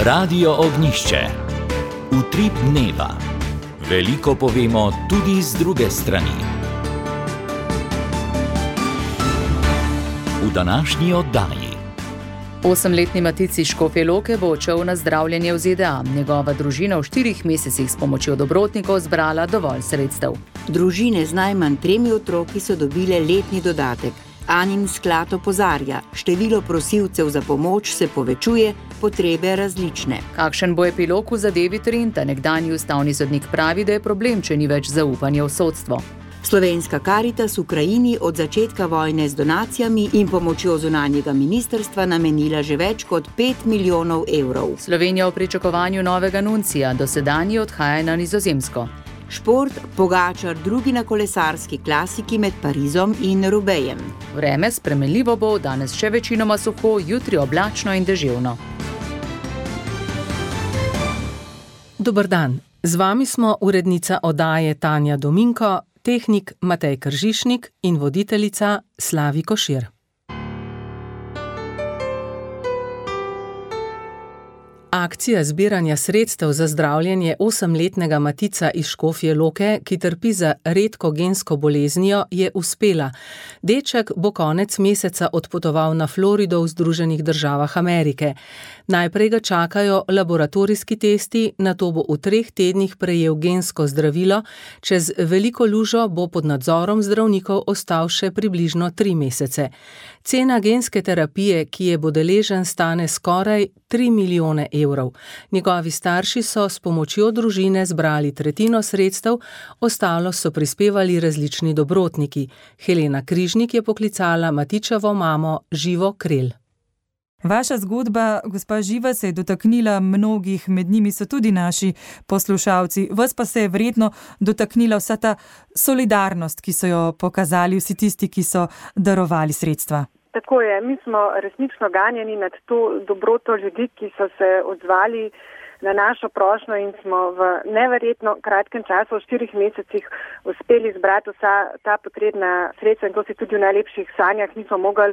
Radio Ognjišče. Utrip dneva. Veliko povemo tudi z druge strani. V današnji oddaji. 8-letni Matic iz Škofje Loke bo odšel na zdravljenje v ZDA. Njegova družina v 4 mesecih s pomočjo dobrotnikov zbrala dovolj sredstev. Družine z najmanj 3 otroki so dobile letni dodatek. Anin sklad opozarja, število prosilcev za pomoč se povečuje, potrebe različne. Kakšen bo epilog v zadevi Trenta? Nekdanji ustavni sodnik pravi, da je problem, če ni več zaupanja v sodstvo. Slovenska Karitas Ukrajini od začetka vojne z donacijami in pomočjo zunanjega ministrstva namenila že več kot 5 milijonov evrov. Slovenija v pričakovanju novega nuncija, dosedanji odhaja na Nizozemsko. Šport, Pogačar drugi na kolesarski klasiki med Parizom in Rubejem. Vreme spremenljivo bo, danes še večinoma suho, jutri oblačno in deževno. Dober dan, z vami smo urednica oddaje Tanja Dominko, tehnik Matej Kržišnik in voditeljica Slavi Košir. Akcija zbiranja sredstev za zdravljenje 8-letnega Matica iz Škofje Loke, ki trpi za redko gensko boleznijo, je uspela. Deček bo konec meseca odpotoval na Florido v Združenih državah Amerike. Najprej ga čakajo laboratorijski testi, nato bo v 3 tednih prejel gensko zdravilo, čez veliko lužo bo pod nadzorom zdravnikov ostal še približno 3 mesece. Cena genske terapije, ki je bo deležen, stane skoraj 3 milijone evrov. Njegovi starši so s pomočjo družine zbrali tretjino sredstev, ostalo so prispevali različni dobrotniki. Helena Križnik je poklicala Matičevo mamo Živo Krelj. Vaša zgodba, gospa Živa, se je dotaknila mnogih, med njimi so tudi naši poslušalci. Vas pa se je verjetno dotaknila vsa ta solidarnost, ki so jo pokazali vsi tisti, ki so darovali sredstva. Tako je, mi smo resnično ganjeni nad to dobroto ljudi, ki so se odzvali na našo prošnjo in smo v neverjetno kratkem času, v 4 mesecih, uspeli zbrati vsa ta potrebna sredstva in to si tudi v najlepših sanjah nismo mogli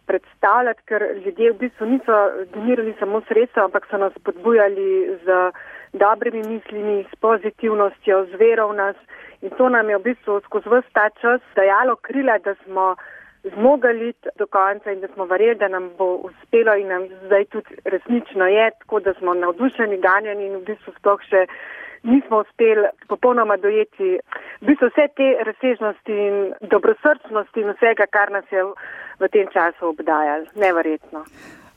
predstavljati, ker ljudje v bistvu niso donirali samo sredstva, ampak so nas podbujali z dobrimi mislimi, s pozitivnostjo, z vero v nas in to nam je v bistvu skozi ves ta čas dajalo krila, da smo zmogli iti do konca in da smo verjeli, da nam bo uspelo in nam zdaj tudi resnično je, tako da smo navdušeni, ganjeni in v bistvu sploh še nismo uspeli popolnoma dojeti v bistvu vse te razsežnosti in dobrosrčnosti in vsega, kar nas je v tem času obdajalo. Neverjetno.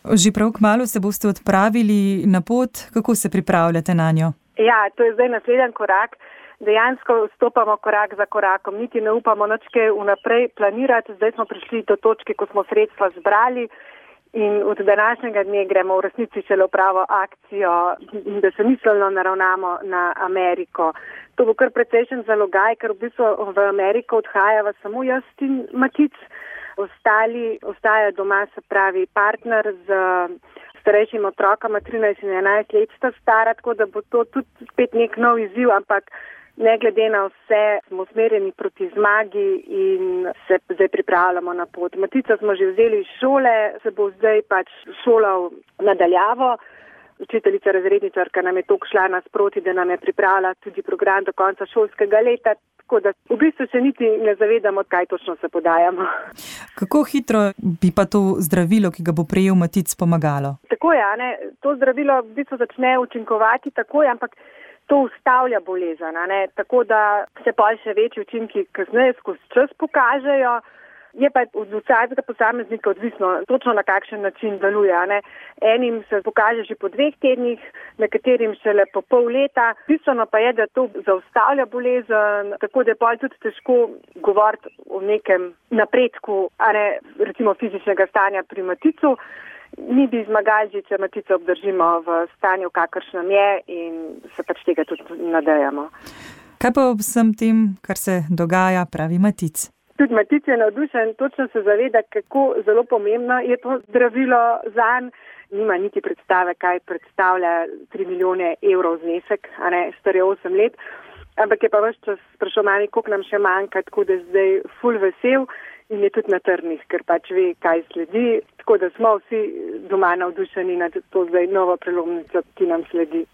Že prav kmalu se boste odpravili na pot, kako se pripravljate na njo? Ja, to je zdaj naslednji korak. Dejansko stopamo korak za korakom, niti ne upamo nič kaj vnaprej planirati. Zdaj smo prišli do točke, ko smo sredstva zbrali in od današnjega dne gremo v resnici šele v pravo akcijo in da se miselno naravnamo na Ameriko. To bo kar precejšen zalogaj, ker v bistvu v Ameriko odhajava samo jaz in Matic. Ostali ostajajo doma, se pravi partner z starejšim otrokama, 13 in 11 let sta stara, tako da bo to tudi spet nek nov izziv, ampak ne glede na vse smo usmerjeni proti zmagi in se zdaj pripravljamo na pot. Matica smo že vzeli iz šole, se bo zdaj pač šolal nadaljavo. Učiteljica razredničarka nam je toliko šla nasproti, da nam je pripravila tudi program do konca šolskega leta, tako da v bistvu se niti ne zavedamo, kaj točno se podajamo. Kako hitro bi pa to zdravilo, ki ga bo prejel Matic, pomagalo? Tako je, ne? To zdravilo v bistvu začne učinkovati takoj, ampak to ustavlja bolezen, ne? Tako da se pa še večji učinki kasneje skozi čas pokažejo. Je pa od vsakega posameznika odvisno točno na kakšen način deluje. Ne? Enim se pokaže že po 2 tednih, nekaterim šele po pol leta. Bistveno pa je, da to zaustavlja bolezen, tako da je pa tudi težko govoriti o nekem napredku, a ne recimo fizičnega stanja pri Maticu. Mi bi zmagali že, če Matico obdržimo v stanju, kakršnem je in se pač tega tudi nadejamo. Kaj pa ob vsem tem, kar se dogaja, pravi Matic? Tudi Matic je navdušen, točno se zaveda, kako zelo pomembno je to zdravilo zanj. Nima niti predstave, kaj predstavlja 3 milijone evrov znesek, a ne, star je 8 let. Ampak je pa ves čas sprašoval, koliko nam še manjka, tako da je zdaj ful vesel in je tudi na trnih, ker pač ve, kaj sledi. Tako da smo vsi doma navdušeni nad to zdaj novo prelomnico, ki nam sledi.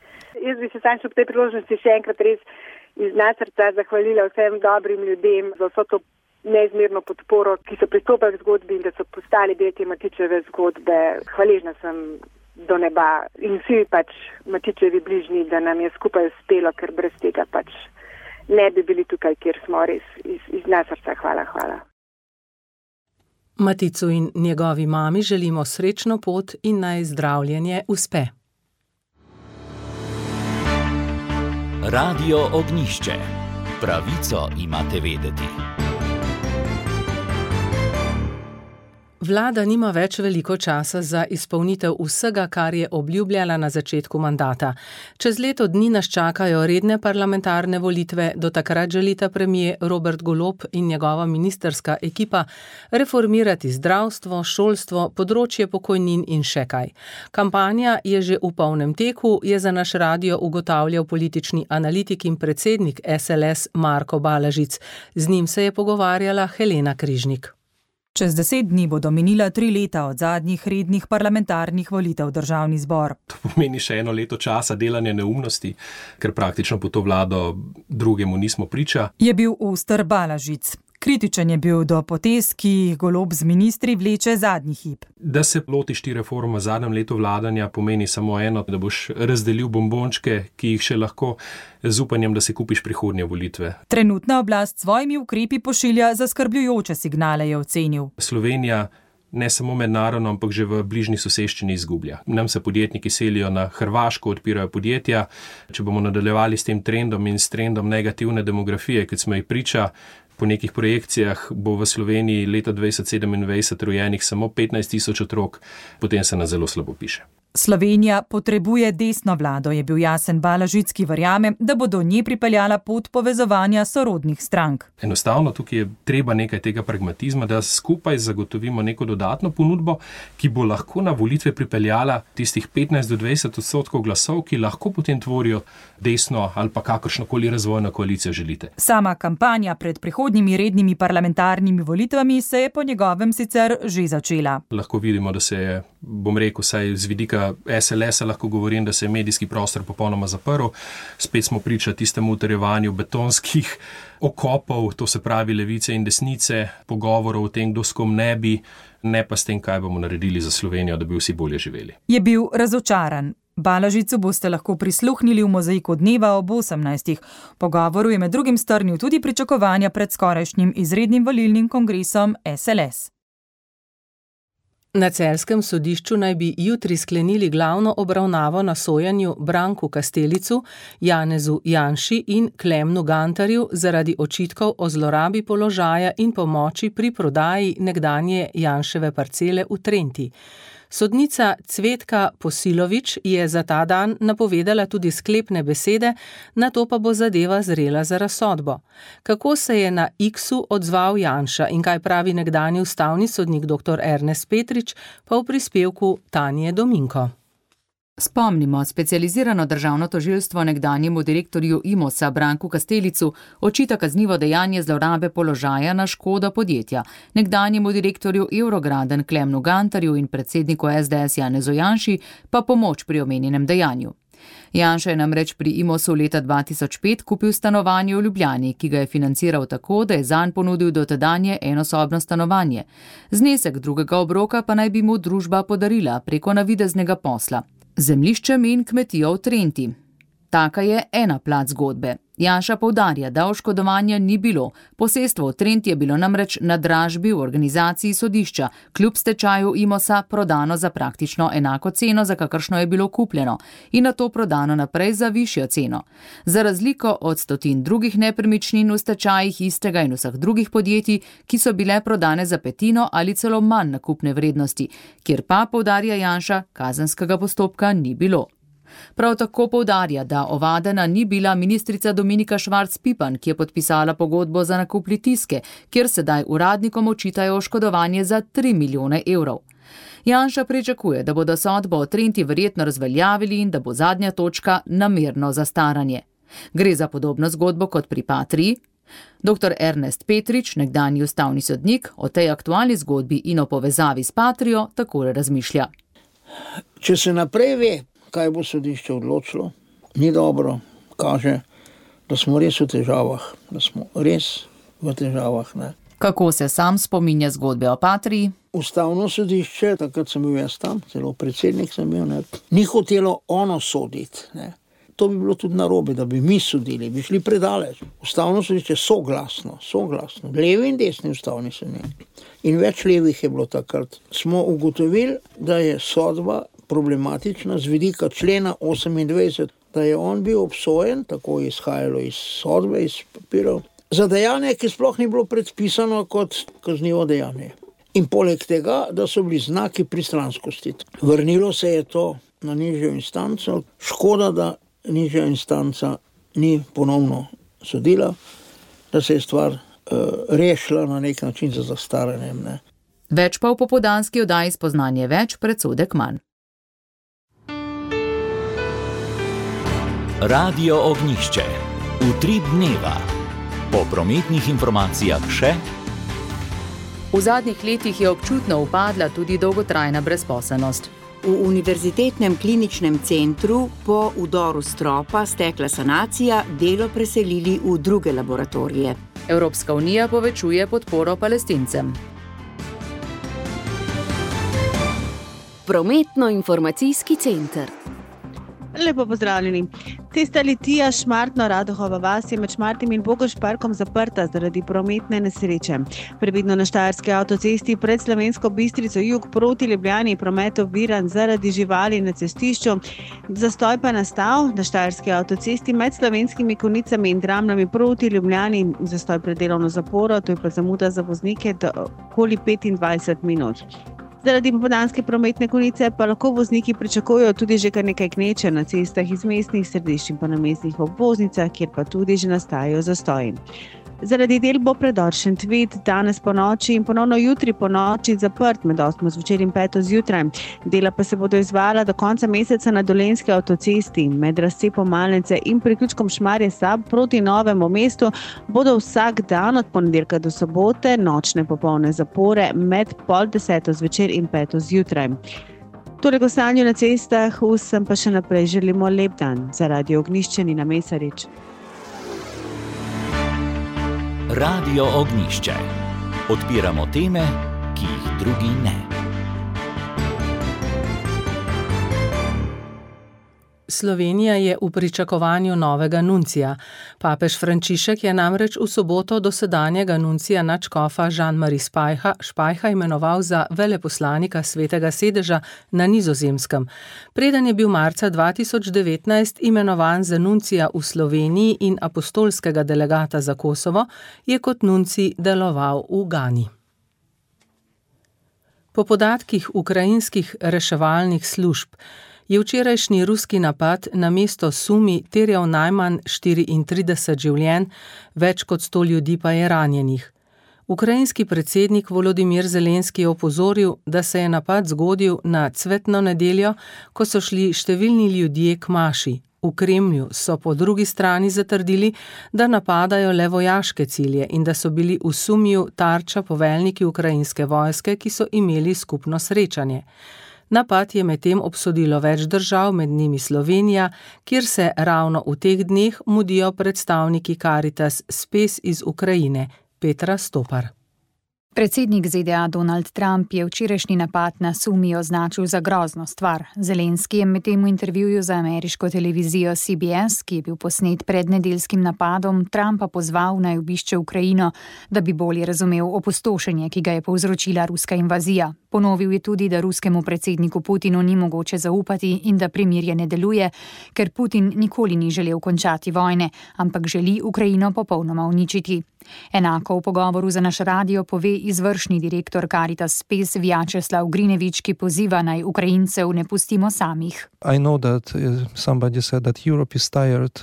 Jaz bi se samo ob tej priložnosti še enkrat res iz srca zahvalila vsem dobrim ljudem za vso to neizmerno podporo, ki so pristopili k zgodbi in da so postali del te Matičeve zgodbe. Hvaležna sem do neba in vsi pač Matičevi bližnji, da nam je skupaj uspelo, ker brez tega pač ne bi bili tukaj, kjer smo res iz srca. Hvala. Maticu in njegovi mami želimo srečno pot in naj zdravljenje uspe. Radio Ognjišče. Pravico imate vedeti. Vlada nima več veliko časa za izpolnitev vsega, kar je obljubljala na začetku mandata. Čez leto dni nas čakajo redne parlamentarne volitve, do takrat želita premier Robert Golob in njegova ministrska ekipa reformirati zdravstvo, šolstvo, področje pokojnin in še kaj. Kampanja je že v polnem teku, je za naš radio ugotavljal politični analitik in predsednik SLS Marko Balažic. Z njim se je pogovarjala Helena Križnik. Čez 10 dni bodo minila 3 leta od zadnjih rednih parlamentarnih volitev v državni zbor. To pomeni še 1 leto časa delanja neumnosti, ker praktično po to vlado drugemu nismo priča. Je bil oster Balažic. Kritičen je bil do potez, ki jih Golob z ministri vleče zadnji hip. Da se lotiš ti reform v zadnjem letu vladanja pomeni samo eno, da boš razdelil bombončke, ki jih še lahko z upanjem, da si kupiš prihodnje volitve. Trenutna oblast s svojimi ukrepi pošilja zaskrbljujoče signale, je ocenil. Slovenija ne samo mednarodno, ampak že v bližnji soseščini izgublja. Nam se podjetniki selijo na Hrvaško, odpirajo podjetja. Če bomo nadaljevali s tem trendom in s trendom negativne demografije, kot smo jih priča, po nekih projekcijah bo v Sloveniji leta 2027 rojenih samo 15 000 otrok, potem se nas zelo slabo piše. Slovenija potrebuje desno vlado, je bil jasen Balažic, ki verjame, da bo do nje pripeljala pot povezovanja sorodnih strank. Enostavno tukaj je treba nekaj tega pragmatizma, da skupaj zagotovimo neko dodatno ponudbo, ki bo lahko na volitve pripeljala tistih 15-20% glasov, ki lahko potem tvorijo desno ali pa kakršnokoli razvojno koalicijo želite. Sama kampanja pred prihodnjimi rednimi parlamentarnimi volitvami se je po njegovem sicer že začela. Lahko vidimo, da se je, bom rekel, saj z vidika SLS-a lahko govorim, da se je medijski prostor popolnoma zaprl. Spet smo priča tistemu utrjevanju betonskih okopov, to se pravi levice in desnice, pogovorov o tem, kdo s kom ne bi, ne pa s tem, kaj bomo naredili za Slovenijo, da bi vsi bolje živeli. Je bil razočaran. Balažicu boste lahko prisluhnili v Mozaiku dneva ob 18. Pogovoru je med drugim strnil tudi pričakovanja pred skorajšnjim izrednim volilnim kongresom SLS. Na celjskem sodišču naj bi jutri sklenili glavno obravnavo na sojenju Branku Kastelicu, Janezu Janši in Klemnu Gantarju zaradi očitkov o zlorabi položaja in pomoči pri prodaji nekdanje Janševe parcele v Trenti. Sodnica Cvetka Posilović je za ta dan napovedala tudi sklepne besede, nato pa bo zadeva zrela za razsodbo. Kako se je na X-u odzval Janša in kaj pravi nekdanji ustavni sodnik dr. Ernest Petrič, pa v prispevku Tanje Dominko. Spomnimo, specializirano državno tožilstvo nekdanjemu direktorju Imosa Branku Kastelicu očita kaznivo dejanje zlorabe položaja na škodo podjetja, nekdanjemu direktorju Eurograden Klemnu Gantarju in predsedniku SDS Janezu Janši pa pomoč pri omenjenem dejanju. Janša je namreč pri Imosu leta 2005 kupil stanovanje v Ljubljani, ki ga je financiral tako, da je zanj ponudil dotedanje enosobno stanovanje. Znesek drugega obroka pa naj bi mu družba podarila preko navideznega posla. Zemljiščem in kmetijo v Trenti. Taka je ena plat zgodbe. Janša poudarja, da oškodovanja ni bilo. Posestvo v Trenti je bilo namreč na dražbi v organizaciji sodišča, kljub stečaju Imosa prodano za praktično enako ceno, za kakršno je bilo kupljeno, in nato prodano naprej za višjo ceno. Za razliko od 100 drugih nepremičnin v stečajih istega in vseh drugih podjetij, ki so bile prodane za petino ali celo manj nakupne vrednosti, kjer pa, poudarja Janša, kazenskega postopka ni bilo. Prav tako poudarja, da ovadena ni bila ministrica Dominika Švarc Pipan, ki je podpisala pogodbo za nakup Litijske, kjer sedaj uradnikom očitajo oškodovanje za 3 milijone evrov. Janša pričakuje, da bodo sodbo o Trenti verjetno razveljavili in da bo zadnja točka namerno zastaranje. Gre za podobno zgodbo kot pri Patriji. Dr. Ernest Petrič, nekdanji ustavni sodnik, o tej aktualni zgodbi in o povezavi s Patrio takole razmišlja. Če se naprej ve, kaj bo sodišče odločilo, ni dobro, kaže, da smo res v težavah, ne. Kako se sam spominja zgodbe o Patriji? Ustavno sodišče, takrat sem bil jaz tam, celo predsednik sem bil, ne, ni hotelo ono soditi, ne. To bi bilo tudi narobe, da bi mi sodili, bi šli predaleč. Ustavno sodišče soglasno, levi in desni ustavni sodniki. In več levih je bilo takrat. Smo ugotovili, da je sodba problematična z vidika člena 28, da je on bil obsojen, tako je izhajalo iz sodbe, iz papirov, za dejanje, ki sploh ni bilo predpisano kot kaznivo dejanje. In poleg tega, da so bili znaki pristranskosti. Vrnilo se je to na nižjo instanco. Škoda, da nižja instanca ni ponovno sodila, da se je stvar rešila na nek način za zastaranjem. Ne. Več pa v popoldanski oddaji Spoznanje več, predsodek manj. Radio Ognjišče. Utrip dneva. Po prometnih informacijah še. V zadnjih letih je občutno upadla tudi dolgotrajna brezposelnost. V Univerzitetnem kliničnem centru po vdoru stropa stekla sanacija, delo preselili v druge laboratorije. Evropska unija povečuje podporo Palestincem. Prometno-informacijski center. Lepo pozdravljeni. Cesta Litija Šmartno-Radohova vas je med Šmartim in Bogoš parkom zaprta zaradi prometne nesreče. Previdno na Štajerski avtocesti pred Slovensko Bistrico jug proti Ljubljani promet oviran zaradi živali na cestišču. Zastoj pa nastal na Štajerski avtocesti med Slovenskimi Konjicami in Dramljami proti Ljubljani. Zastoj pred delovno zaporo, to je pa zamuda za voznike do okoli 25 minut. Zaradi popoldanske prometne konice pa lahko vozniki pričakujejo tudi že kar nekaj gneče na cestah iz mestnih središč in pa na mestnih obvoznicah, kjer pa tudi že nastajajo zastoji. Zaradi del bo predor Šentvid danes po noči in ponovno jutri po noči zaprt med 8 zvečer in 5 zjutraj. Dela pa se bodo izvajala do konca meseca na Dolenjski avtocesti. Med razcepom Malnice in priključkom Šmarje-Sab proti Novemu mestu bodo vsak dan od ponedeljka do sobote nočne popolne zapore med 9:30 zvečer in 5 zjutraj. Torej, o stanju na cestah vsem pa še naprej želimo lep dan. Za Radio Ognjišče Nina Mesarič. Radio Ognjišče. Odpiramo teme, ki jih drugi ne. Slovenija je v pričakovanju novega nuncija. Papež Frančišek je namreč v soboto dosedanjega nuncija nadškofa Jean-Marie Spajha imenoval za veleposlanika Svetega sedeža na Nizozemskem. Preden je bil marca 2019 imenovan za nuncija v Sloveniji in apostolskega delegata za Kosovo, je kot nuncij deloval v Gani. Po podatkih ukrajinskih reševalnih služb je včerajšnji ruski napad na mesto Sumi terjal najmanj 34 življenj, več kot 100 ljudi pa je ranjenih. Ukrajinski predsednik Volodimir Zelenski je opozoril, da se je napad zgodil na cvetno nedeljo, ko so šli številni ljudje k maši. V Kremlju so po drugi strani zatrdili, da napadajo le vojaške cilje in da so bili v Sumiju tarča poveljniki ukrajinske vojske, ki so imeli skupno srečanje. Napad je medtem obsodilo več držav, med njimi Slovenija, kjer se ravno v teh dneh mudijo predstavniki Caritas Spes iz Ukrajine, Petra Stopar. Predsednik ZDA Donald Trump je včerajšnji napad na Sumi označil za grozno stvar. Zelenski je medtem v intervjuju za ameriško televizijo CBS, ki je bil posnet pred nedeljskim napadom, Trumpa pozval naj obišče Ukrajino, da bi bolje razumel opustošenje, ki ga je povzročila ruska invazija. Ponovil je tudi, da ruskemu predsedniku Putinu ni mogoče zaupati in da premirje ne deluje, ker Putin nikoli ni želel končati vojne, ampak želi Ukrajino popolnoma uničiti. Enako v pogovoru za naš radio pove izvršni direktor Caritas Spes Vjačeslav Grinevič, ki poziva naj Ukrajincev ne pustimo samih. I know that somebody said that Europe is tired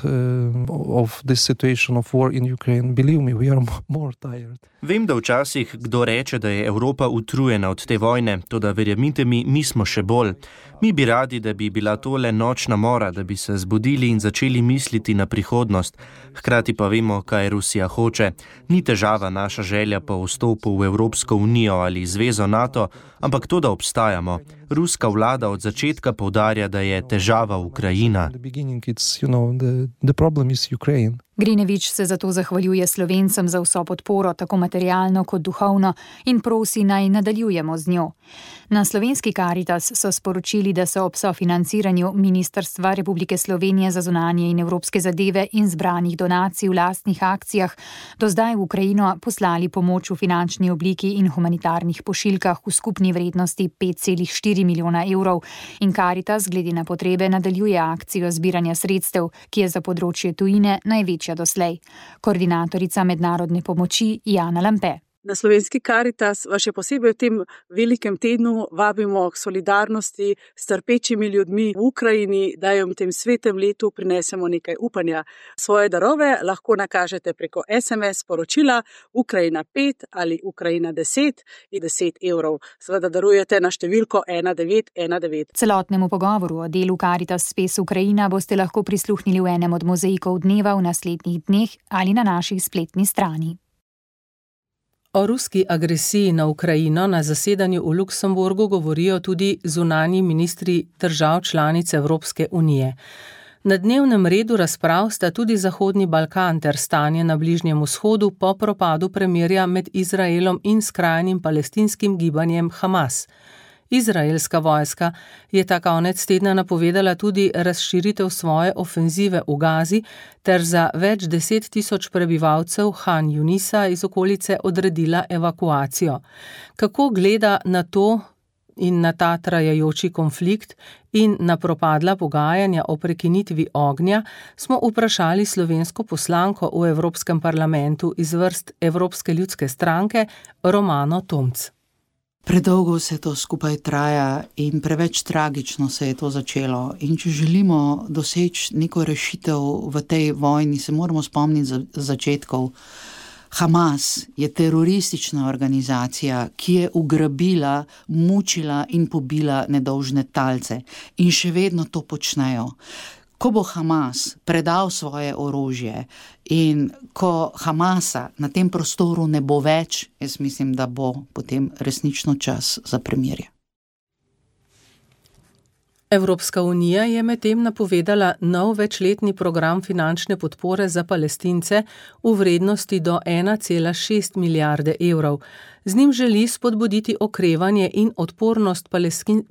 of this situation of war in Ukraine. Believe me, we are more tired. Vem, da včasih kdo reče, da je Evropa utrujena od te vojne, toda verjemite mi smo še bolj. Mi bi radi, da bi bila tole nočna mora, da bi se zbudili in začeli misliti na prihodnost. Hkrati pa vemo, kaj Rusija hoče. Ni težava naša želja po vstopu v Evropsko unijo ali zvezo NATO, ampak to, da obstajamo. Ruska vlada od začetka poudarja, da je težava Ukrajina. Grinevič se zato zahvaljuje Slovencem za vso podporo, tako materialno kot duhovno, in prosi naj nadaljujemo z njo. Na slovenski Caritas so sporočili, da so ob sofinanciranju Ministrstva Republike Slovenije za zunanje in evropske zadeve in zbranih donacij v lastnih akcijah do zdaj v Ukrajino poslali pomoč v finančni obliki in humanitarnih pošiljkah v skupni vrednosti 5,4 milijona evrov in Caritas glede na potrebe nadaljuje akcijo zbiranja sredstev, ki je za področje tujine največja doslej. Koordinatorica mednarodne pomoči Jana Lampe. Na slovenski Caritas vas še posebej v tem velikem tednu vabimo k solidarnosti s trpečimi ljudmi v Ukrajini, da jim v tem svetem letu prinesemo nekaj upanja. Svoje darove lahko nakažete preko SMS sporočila Ukrajina 5 ali Ukrajina 10 in 10 evrov. Seveda darujete na številko 1919. Celotnemu pogovoru o delu Caritas Spes Ukrajina boste lahko prisluhnili v enem od mozaikov dneva v naslednjih dneh ali na naši spletni strani. O ruski agresiji na Ukrajino na zasedanju v Luksemburgu govorijo tudi zunanji ministri držav članic Evropske unije. Na dnevnem redu razprav sta tudi Zahodni Balkan ter stanje na Bližnjem vzhodu po propadu premirja med Izraelom in skrajnim palestinskim gibanjem Hamas. Izraelska vojska je ta konec tedna napovedala tudi razširitev svoje ofenzive v Gazi ter za več 10.000 prebivalcev Han Junisa iz okolice odredila evakuacijo. Kako gleda na to in na ta trajajoči konflikt in na propadla pogajanja o prekinitvi ognja, smo vprašali slovensko poslanko v Evropskem parlamentu iz vrst Evropske ljudske stranke Romano Tomc. Predolgo se to skupaj traja in preveč tragično se je to začelo. In če želimo doseči neko rešitev v tej vojni, se moramo spomniti začetkov. Hamas je teroristična organizacija, ki je ugrabila, mučila in pobila nedolžne talce. In še vedno to počnejo. Ko bo Hamas predal svoje orožje in ko Hamasa na tem prostoru ne bo več, jaz mislim, da bo potem resnično čas za premirje. Evropska unija je medtem napovedala nov večletni program finančne podpore za Palestince v vrednosti do 1,6 milijarde evrov. Z njim želi spodbuditi okrevanje in odpornost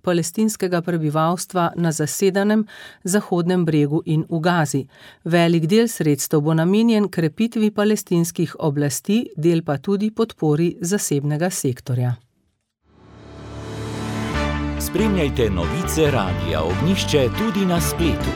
palestinskega prebivalstva na zasedanem Zahodnem bregu in v Gazi. Velik del sredstev bo namenjen krepitvi palestinskih oblasti, del pa tudi podpori zasebnega sektorja. Spremljajte novice Radia Ognjišče tudi na spletu.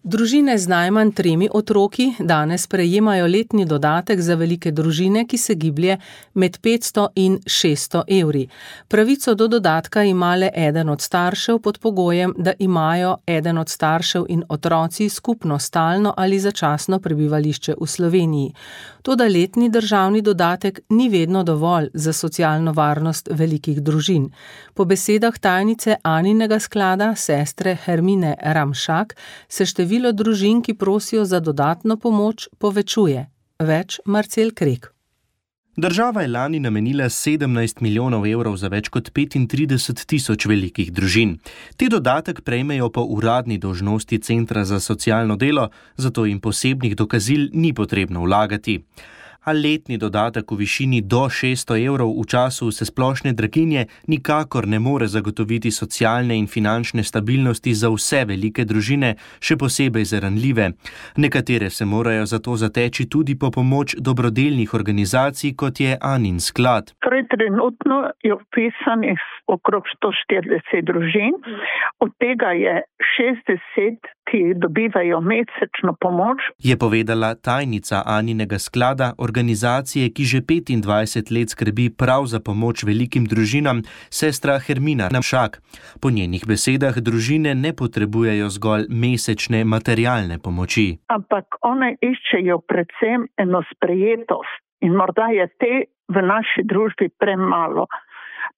Družine z najmanj 3 otroki danes prejemajo letni dodatek za velike družine, ki se giblje med 500 in 600 evri. Pravico do dodatka ima le eden od staršev pod pogojem, da imajo eden od staršev in otroci skupno stalno ali začasno prebivališče v Sloveniji. Toda letni državni dodatek ni vedno dovolj za socialno varnost velikih družin. Po besedah tajnice Aninega sklada, sestre Hermine Ramšak, se število družin, ki prosijo za dodatno pomoč, povečuje. Več Marcel Krek. Država je lani namenila 17 milijonov evrov za več kot 35.000 velikih družin. Te dodatek prejmejo po uradni dolžnosti Centra za socialno delo, zato jim posebnih dokazil ni potrebno vlagati. A letni dodatek v višini do 600 evrov v času vsesplošne draginje nikakor ne more zagotoviti socialne in finančne stabilnosti za vse velike družine, še posebej za ranljive. Nekatere se morajo zato zateči tudi po pomoč dobrodelnih organizacij, kot je Anin sklad. Torej, trenutno je vpisanih okrog 140 družin, od tega je 60, ki dobivajo mesečno pomoč. Je povedala tajnica Aninega sklada, organizacije, ki že 25 let skrbi prav za pomoč velikim družinam, sestra Hermina Namšak. Po njenih besedah družine ne potrebujejo zgolj mesečne materialne pomoči. Ampak one iščejo predvsem eno sprejetost in morda je te v naši družbi premalo.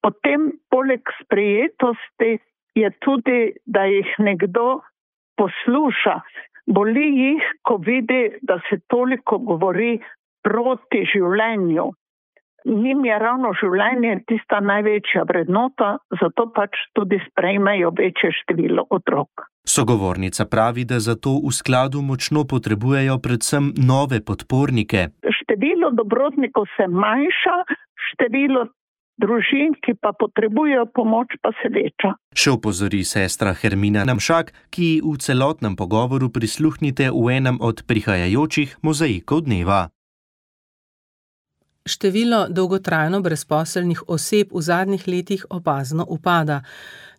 Potem poleg sprejetosti je tudi, da jih nekdo posluša. Boli jih, ko vidi, da se toliko govori proti življenju. Njim je ravno življenje tista največja vrednota, zato pač tudi sprejmejo večje število otrok. Sogovornica pravi, da zato v skladu močno potrebujejo predvsem nove podpornike. Število dobrotnikov se manjša, število družin, ki pa potrebujejo pomoč, pa se veča. Še opozori sestra Hermina Namšak, ki v celotnem pogovoru prisluhnite v enem od prihajajočih mozaikov dneva. Število dolgotrajno brezposelnih oseb v zadnjih letih opazno upada.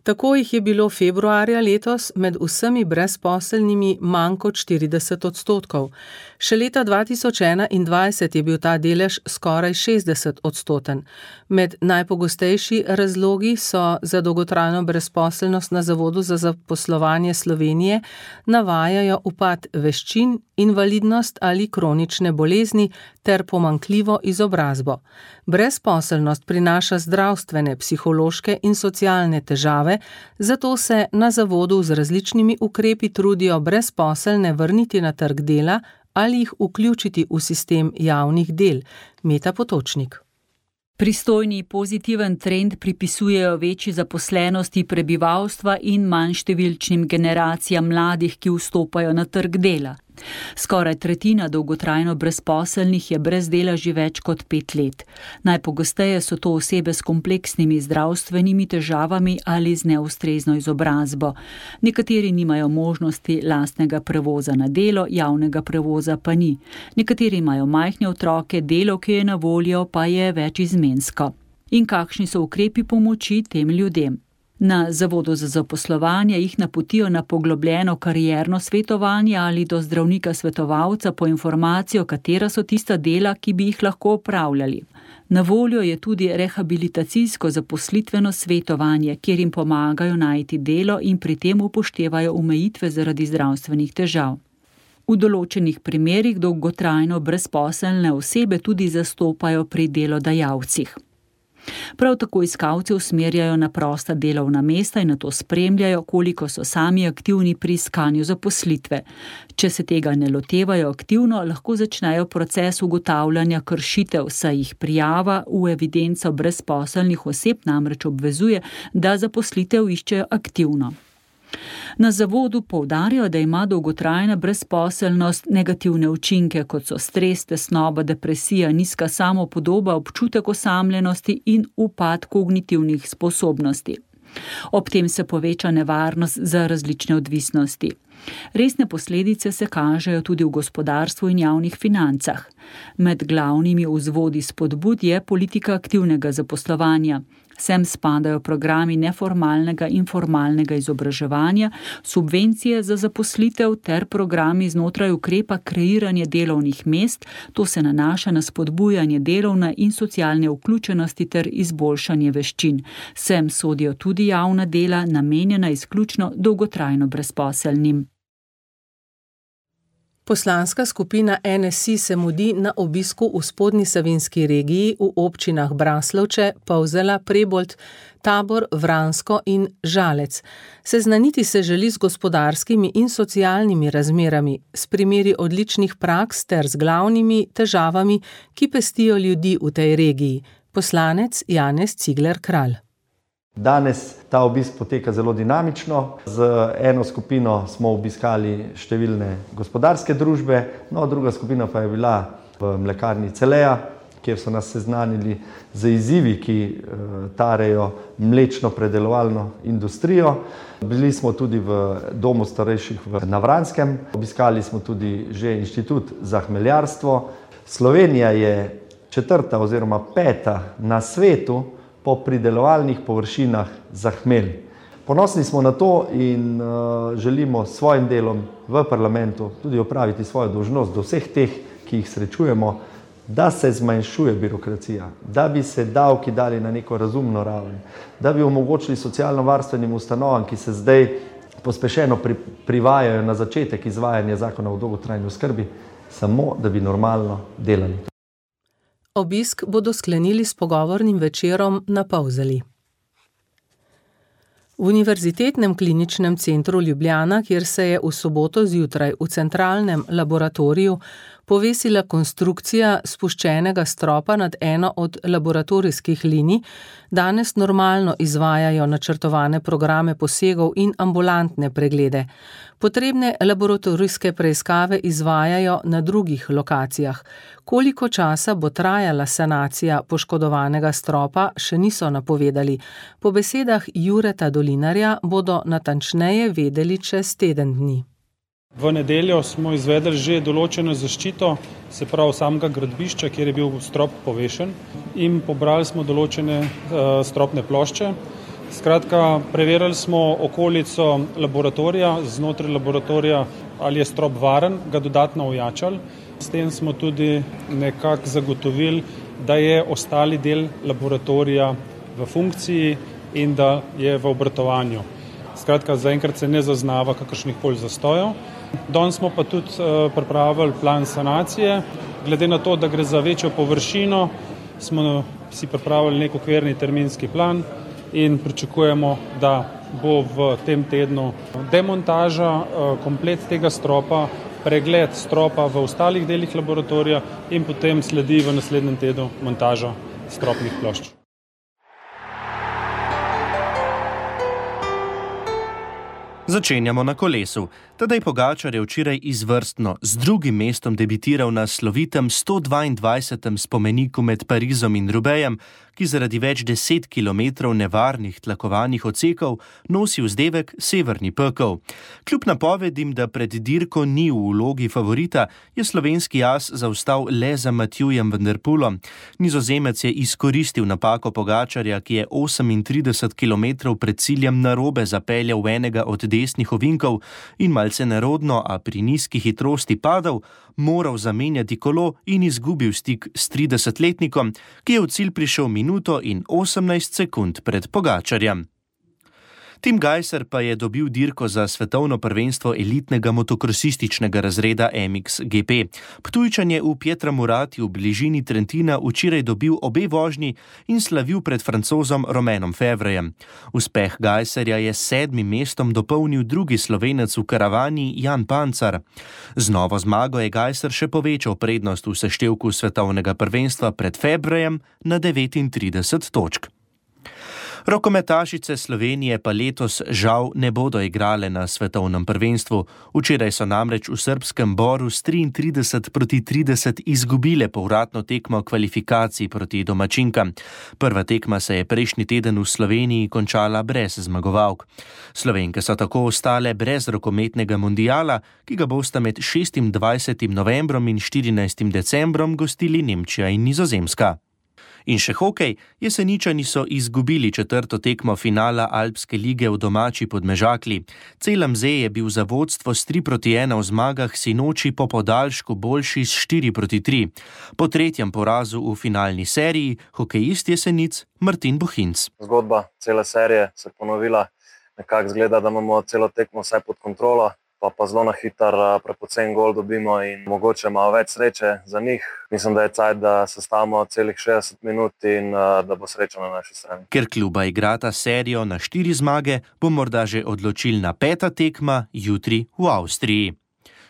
Tako jih je bilo februarja letos med vsemi brezposelnimi manj kot 40%. Še leta 2021 je bil ta delež skoraj 60%. Med najpogostejši razlogi so za dolgotrajno brezposelnost na Zavodu za zaposlovanje Slovenije navajajo upad veščin, invalidnost ali kronične bolezni ter pomanjkljivo izobrazbo. Brezposelnost prinaša zdravstvene, psihološke in socialne težave, zato se na zavodu z različnimi ukrepi trudijo brezposelne vrniti na trg dela ali jih vključiti v sistem javnih del. Meta Potočnik. Pristojni pozitiven trend pripisujejo večji zaposlenosti prebivalstva in manjštevilčnim generacijam mladih, ki vstopajo na trg dela. Skoraj tretjina dolgotrajno brezposelnih je brez dela že več kot 5 let. Najpogosteje so to osebe s kompleksnimi zdravstvenimi težavami ali z neustrezno izobrazbo. Nekateri nimajo možnosti lastnega prevoza na delo, javnega prevoza pa ni. Nekateri imajo majhne otroke, delo, ki je na voljo, pa je večizmensko. In kakšni so ukrepi pomoči tem ljudem? Na Zavodu za zaposlovanje jih napotijo na poglobljeno karierno svetovanje ali do zdravnika svetovalca po informacijo, katera so tista dela, ki bi jih lahko opravljali. Na voljo je tudi rehabilitacijsko zaposlitveno svetovanje, kjer jim pomagajo najti delo in pri tem upoštevajo omejitve zaradi zdravstvenih težav. V določenih primerih dolgotrajno brezposelne osebe tudi zastopajo pri delodajalcih. Prav tako iskalce usmerjajo na prosta delovna mesta in nato spremljajo, koliko so sami aktivni pri iskanju zaposlitve. Če se tega ne lotevajo aktivno, lahko začnejo proces ugotavljanja kršitev, saj jih prijava v evidenco brezposelnih oseb namreč obvezuje, da zaposlitev iščejo aktivno. Na zavodu poudarjajo, da ima dolgotrajna brezposelnost negativne učinke, kot so stres, tesnoba, depresija, nizka samopodoba, občutek osamljenosti in upad kognitivnih sposobnosti. Ob tem se poveča nevarnost za različne odvisnosti. Resne posledice se kažejo tudi v gospodarstvu in javnih financah. Med glavnimi vzvodi spodbud je politika aktivnega zaposlovanja. Sem spadajo programi neformalnega in formalnega izobraževanja, subvencije za zaposlitev ter programi znotraj ukrepa kreiranje delovnih mest, to se nanaša na spodbujanje delovne in socialne vključenosti ter izboljšanje veščin. Sem sodijo tudi javna dela, namenjena izključno dolgotrajno brezposelnim. Poslanska skupina NSI se mudi na obisku v spodnji Savinjski regiji v občinah Braslovče, Polzela, Prebold, Tabor, Vransko in Žalec. Seznaniti se želi z gospodarskimi in socialnimi razmerami, s primeri odličnih praks ter z glavnimi težavami, ki pestijo ljudi v tej regiji. Poslanec Janez Cigler Kralj. Danes ta obisk poteka zelo dinamično. Z eno skupino smo obiskali številne gospodarske družbe, druga skupina pa je bila v mlekarni Celeja, kjer so nas seznanili z izzivi, ki tarejo mlečno predelovalno industrijo. Bili smo tudi v domu starejših na Vranskem, obiskali smo tudi že inštitut za hmeljarstvo. Slovenija je 4. oziroma 5. na svetu po pridelovalnih površinah za hmelj. Ponosni smo na to in želimo s svojim delom v parlamentu tudi opraviti svojo dolžnost do vseh teh, ki jih srečujemo, da se zmanjšuje birokracija, da bi se davki dali na neko razumno raven, da bi omogočili socialno-varstvenim ustanovam, ki se zdaj pospešeno privajajo na začetek izvajanja zakona o dolgotrajni oskrbi, samo da bi normalno delali. Obisk bodo sklenili s pogovornim večerom na Polzeli. V Univerzitetnem kliničnem centru Ljubljana, kjer se je v soboto zjutraj v centralnem laboratoriju povesila konstrukcija spuščenega stropa nad eno od laboratorijskih linij, danes normalno izvajajo načrtovane programe posegov in ambulantne preglede. Potrebne laboratorijske preiskave izvajajo na drugih lokacijah. Koliko časa bo trajala sanacija poškodovanega stropa, še niso napovedali. Po besedah Jureta Dolinarja bodo natančneje vedeli čez teden dni. V nedeljo smo izvedli že določeno zaščito, se pravi samega gradbišča, kjer je bil strop povešen, in pobrali smo določene stropne plošče. Skratka, preverili smo okolico laboratorija, znotraj laboratorija, ali je strop varen, ga dodatno ojačali. S tem smo tudi nekako zagotovili, da je ostali del laboratorija v funkciji in da je v obratovanju. Skratka, zaenkrat se ne zaznava kakršnih koli zastojev. Danes smo pa tudi pripravili plan sanacije. Glede na to, da gre za večjo površino, smo si pripravili nek okvirni terminski plan in pričakujemo, da bo v tem tednu demontaža komplet tega stropa, pregled stropa v ostalih delih laboratorija in potem sledi v naslednjem tednu montaža stropnih plošč. Začenjamo na kolesu. Tadej Pogačar je včeraj izvrstno z drugim mestom debitiral na slovitem 122. spomeniku med Parizom in Roubaixem, ki zaradi več 10 kilometrov nevarnih tlakovanih odsekov nosi vzdevek Severni pekel. Kljub napovedim, da pred dirko ni v vlogi favorita, je slovenski as zaostal le za Matjujem van der Poelom. Nizozemec je izkoristil napako Pogačarja, ki je 38 kilometrov pred ciljem narobe zapeljal v enega od desnih ovinkov in malce nerodno, a pri nizki hitrosti padal, moral zamenjati kolo in izgubil stik s 30-letnikom, ki je v cilj prišel minuto in 18 sekund pred Pogačarjem. Tim Gajser pa je dobil dirko za svetovno prvenstvo elitnega motokrosističnega razreda MXGP. Ptujčan je v Pietramurati v bližini Trentina včeraj dobil obe vožnji in slavil pred Francozom Romanom Fevrejem. Uspeh Gajserja je s 7. mestom dopolnil drugi Slovenec v karavani Jan Pancar. Z novo zmago je Gajser še povečal prednost v seštevku svetovnega prvenstva pred Fevrejem na 39 točk. Rokometašice Slovenije pa letos žal ne bodo igrale na svetovnem prvenstvu. Včeraj so namreč v srbskem Boru s 33-30 izgubile povratno tekmo kvalifikacij proti domačinkam. Prva tekma se je prejšnji teden v Sloveniji končala brez zmagovalk. Slovenke so tako ostale brez rokometnega mundiala, ki ga bosta med 26. novembrom in 14. decembrom gostili Nemčija in Nizozemska. In še hokej, Jeseničani so izgubili četrto tekmo finala Alpske lige v domači Podmežakli. CLMZ je bil za vodstvo s 3-1 v zmagah sinoči po podaljšku boljši s 4-3. Po tretjem porazu v finalni seriji hokejist Jesenic Martin Bohinc. Zgodba cele serije se ponovila, nekako zgleda, da imamo celo tekmo vse pod kontrolo, pa zelo na hitar prepocen gol dobimo in mogoče malo več sreče za njih. Mislim, da je cajt, da sestavimo celih 60 minut in da bo sreča na naši strani. Ker kluba igrata serijo na 4 zmage, bo morda že odločilna 5. tekma jutri v Avstriji.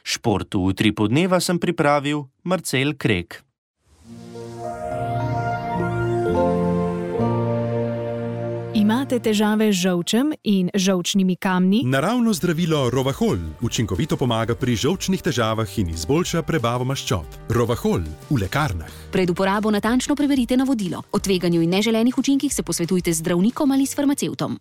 Šport v Utripu dneva sem pripravil Marcel Krek. Imate težave z žolčem in žolčnimi kamni? Naravno zdravilo Rovahol učinkovito pomaga pri žolčnih težavah in izboljša prebavo maščob. Rovahol v lekarnah. Pred uporabo natančno preverite navodilo. O tveganju in neželenih učinkih se posvetujte z zdravnikom ali s farmacevtom.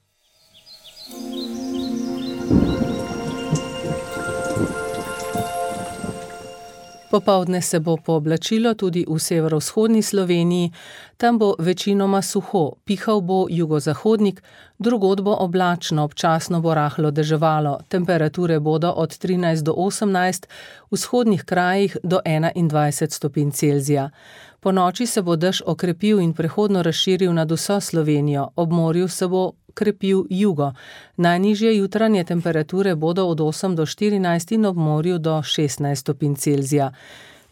Popoldne se bo pooblačilo tudi v severovzhodni Sloveniji, tam bo večinoma suho, pihal bo jugozahodnik, drugod bo oblačno, občasno bo rahlo deževalo, temperature bodo od 13 do 18, v vzhodnih krajih do 21 stopinj Celzija. Po noči se bo dež okrepil in prehodno razširil nad vso Slovenijo, ob morju se bo krepil jugo. Najnižje jutranje temperature bodo od 8 do 14 in ob morju do 16 stopinj Celzija.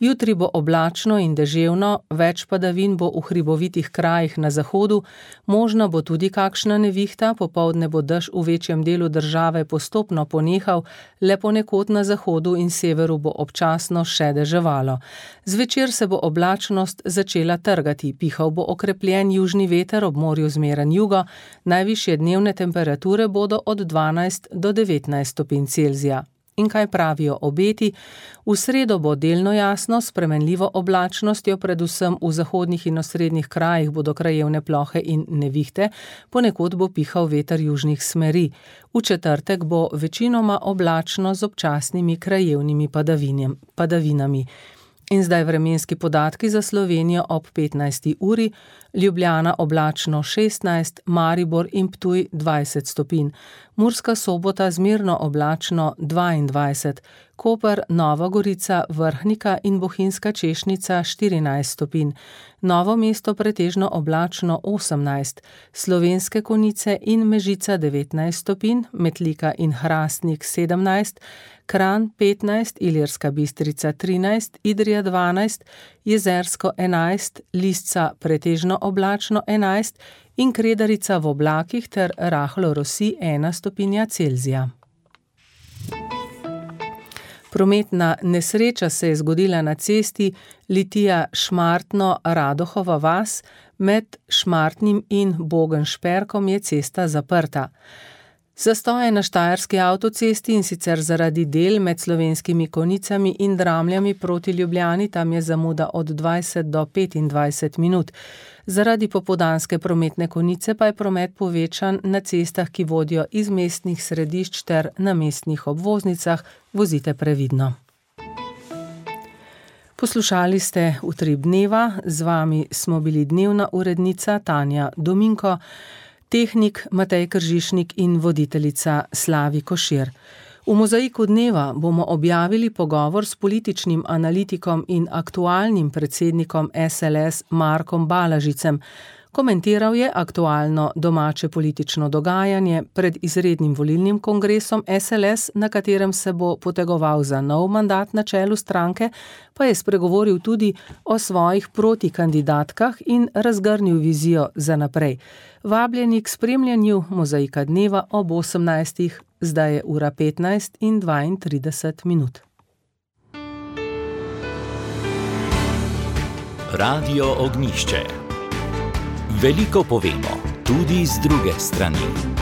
Jutri bo oblačno in deževno, več padavin bo v hribovitih krajih na zahodu, možna bo tudi kakšna nevihta, popoldne bo dež v večjem delu države postopno ponehal, le ponekod na zahodu in severu bo občasno še deževalo. Zvečer se bo oblačnost začela trgati, pihal bo okrepljen južni veter, ob morju zmeren jugo, najvišje dnevne temperature bodo od 12 do 19 stopinj Celzija. In kaj pravijo obeti? V sredo bo delno jasno, s spremenljivo oblačnostjo, predvsem v zahodnih in osrednjih krajih bodo krajevne plohe in nevihte, ponekod bo pihal veter južnih smeri. V četrtek bo večinoma oblačno z občasnimi krajevnimi padavinami. In zdaj vremenski podatki za Slovenijo ob 15. uri, Ljubljana oblačno 16, Maribor in Ptuj 20 stopinj, Murska Sobota zmerno oblačno 22, Koper, Nova Gorica, Vrhnika in Bohinjska Češnica 14 stopinj, Novo mesto pretežno oblačno 18, Slovenske Konjice in Mežica 19 stopinj, Metlika in Hrastnik 17, Kranj 15, Ilirska Bistrica 13, Idrija 12, Jezersko 11, Lisca pretežno oblačno 11 in Kredarica v oblakih ter rahlo rosi 1 stopinja Celzija. Prometna nesreča se je zgodila na cesti Litija-Šmartno-Radohova vas, med Šmartnim in Bogenšperkom je cesta zaprta. Zastoje na štajerski avtocesti, in sicer zaradi del med Slovenskimi Konjicami in Dramljami proti Ljubljani, tam je zamuda od 20 do 25 minut. Zaradi popoldanske prometne konice pa je promet povečan na cestah, ki vodijo iz mestnih središč ter na mestnih obvoznicah. Vozite previdno. Poslušali ste Utrip dneva, z vami smo bili dnevna urednica Tanja Dominko, tehnik Matej Kržišnik in voditeljica Slavi Košir. V Mozaiku dneva bomo objavili pogovor s političnim analitikom in aktualnim predsednikom SLS Markom Balažicem. Komentiral je aktualno domače politično dogajanje pred izrednim volilnim kongresom SLS, na katerem se bo potegoval za nov mandat na čelu stranke, pa je spregovoril tudi o svojih protikandidatkah in razgrnil vizijo za naprej. Vabljeni k spremljanju Mozaika dneva ob 18. Zdaj je ura 15 in 32 minut. Radio Ognjišče. Veliko povemo, tudi z druge strani.